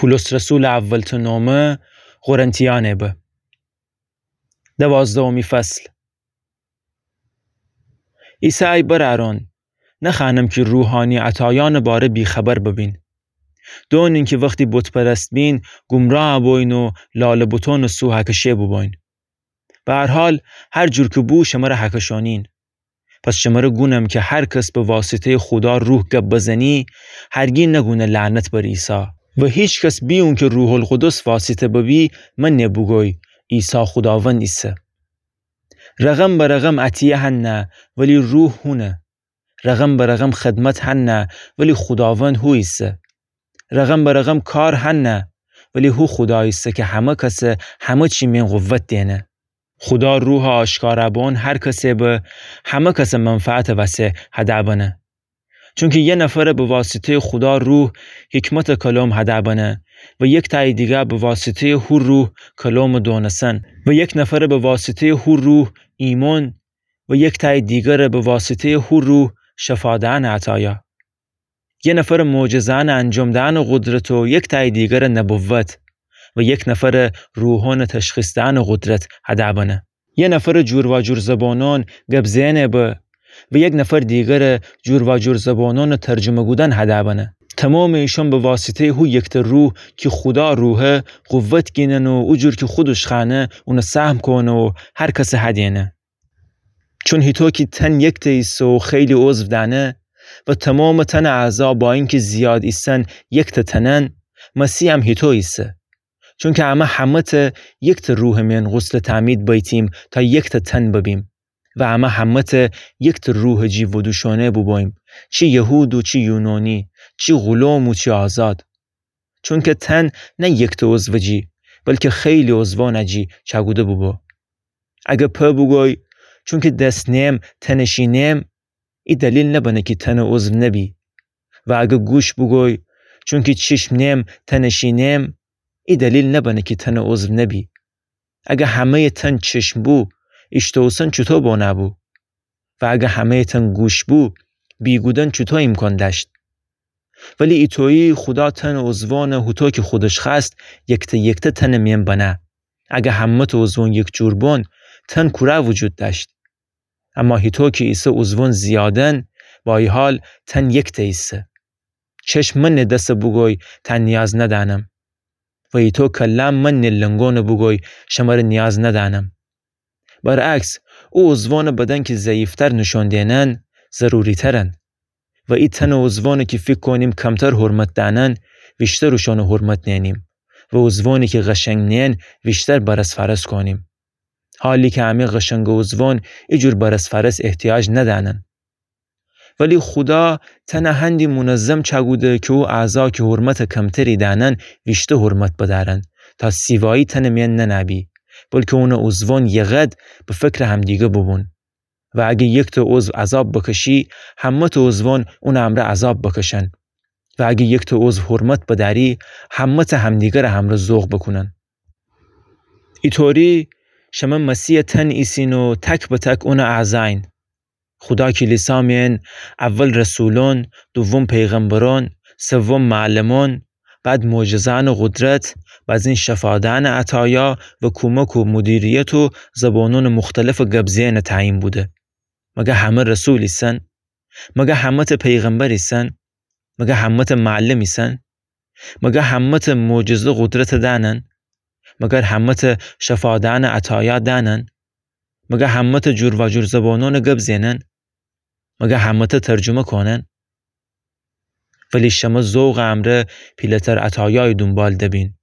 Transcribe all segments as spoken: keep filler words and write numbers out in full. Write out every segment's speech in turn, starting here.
بولس رسولٚ اولتأ نامه قرنتیأنٚ به. دوازدهمی فصل. ایسه ای برأرأن، نخوأنم کی روحأنی عطایأنٚ باره بی‌خبر ببین. دونین کی وختی بت‌پرست بین، گمراه بوین و لالٚ بتأنٚ سو هکشه بوبوین. به هر حال، هر جور کی بو شمره هکشأنین. پس شمره گونم کی هر کس به واسطه‌یٚ خودا روح گب بزنی، هرگی نگونه لعنت بر عیسی. و هیکس بی اونکی روح‌القدس واسطه ببی، منه بوگوی عیسی خوداوند ایسه. رقم به رقم عطیه هنه، ولی روح هونه. رقم به رقم خدمت هنه، ولی خوداوند هو ایسه. رقم به رقم کار هنه، ولی هو خودا ایسه کی همه کسه همه چی مئن قوت دئنه. خودا روحٚ آشکارا بون هر کسه به، همه کسٚ منفعتٚ وسه هدأ بنه. چونکی یه نفره به واسطه‌یٚ خودا روح حکمتٚ کلام هدأ بنه و یکتأیٚ دیگر به واسطه‌یٚ هو روح کلامٚ دونسن و یک نفره به واسطه‌یٚ هو روح ایمأن و یکتأیٚ دیگره به واسطه‌یٚ هو روح شفا دئنٚ عطایا. یه نفره معجزه‌أنٚ انجام دئنٚ قدرت و یکتأیٚ دیگره نبوت و یک نفره روحأنٚ تشخیص دئنٚ قدرت هدأ بنه. یه نفره جورواجور زبانأن گب زئنٚ به و یک نفر دیگره جورواجور زبانأنٚ ترجمه کودن هدأ بنه. تومامٚ ایشأن به واسطه‌یٚ هو یکتأ روح کی خودا روحه قوت گینن و او جور کی خودش خوأنه اونه سهم کونه و هر کسه هدینه. چون هیطو کی تن یکتأ ایسه و خیلی عضو دأنه و تومامٚ تنٚ اعضا با اینکی زیاد ایسن یکتأ تنن، مسیحم هیطو ایسه. چونکی امه همه‌تأ یکتأ روحٚ مئن غسلٚ تعمید بیتیم تا یکتأ تن ببیم و امه همه‌تأ یکتأ روحٚ جی ودوشؤنه بوبوییم، چی یهود و چی یونانی، چی غلام و چی آزاد. چونکی تن نه یکتأ عضوٚ جی، بلکی خیلی عضوأنٚ جی چأکوده بوبو. اگر پا بوگوی، چونکی دس نیم تنٚ شین نیم، ای دلیل نبنه کی تنٚ عضو نبی. و اگر گوش بوگوی، چونکی چشم نیم تنٚ شین نیم، ای دلیل نبنه کی تنٚ عضو نبی. اگر همه‌یٚ تن چشم بو، ایشته اوسن چوطو بنه بو؟ و اگر همه‌یٚ تن گوش بو، بیگودن چوطو ایمکان دأشت؟ ولی ایطویی خودا تنٚ عضوأنه هوطو کی خودش خوأست یکتأ یکتأ تنٚ مئن بنه. اگر همه‌تأ عضوأن یک جور بون، تن کورأ وجود دأشت؟ اما هیطو کی ایسه عضوأن زیادن، با ای حال تن یکتأ ایسه. چشم منٚ دسه بوگوی تأ نیاز ندأنم و ایطو کله‌م منٚ لنگأنه بوگوی شمره نیاز ندأنم. برعکس، او عضوأنٚ بدن کی ضعیفتر نوشؤن دئنن، ضروری‌ترن. و ای تنٚ عضوأنه کی فیکر کونیم کمتر حرمت دأنن، ویشتر اوشأنه حرمت نئنیم و عضوأنی کی قشنگ نئن ویشتر برص فرص کونیم. حالی کی امه قشنگٚ عضوأن ایجور برص فرص احتیاج ندأنن. ولی خودا تنه هندی منظم چأکوده کی او اعضا کی حرمتٚ کمتری دأنن ویشتر حرمت بدأرن، تا سیوایی تنٚ مئن ننه‌بی، بلکی اونٚ عضوأن یه قد به فکرٚ همدیگه بوبون. و اگر یکتأ عضو عذاب بکشی، همه‌تأ عضوأن اونٚ امرأ عذاب بکشن. و اگر یکتأ عضو حرمت بدأری، همه‌تأ همدیگرٚ همرأ ذوق بوکونن. ایطوری شمه مسیحٚ تن ایسین و تک به تک اونٚ اعضایین. خودا کلیسا مئن اول رسولأن، دوم پیغمبرأن، سوم معلمأن، بعد معجزه‌أنٚ قدرت، بازین شفا دئنٚ عطایا و کومک و مدیریت و زبانأنٚ مختلفٚ گب زئنٚ تعیین بوده. مگر همه رسول ایسن؟ مگر همه‌تأ پیغمبر ایسن؟ مگر همه‌تأ معلم ایسن؟ مگر همه‌تأ معجزه قدرت دأنن؟ مگر همه‌تأ شفا دئنٚ عطایا دأنن؟ مگر همه‌تأ جورواجور زبانأنٚ گب زئنن؟ مگر همه‌تأ ترجمه کونن؟ ولی شمه ذوقٚ امرأ پیله‌تر عطایای دونبال دبین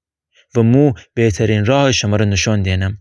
و مو بهترین راهٚ شمره نشأن دئنم.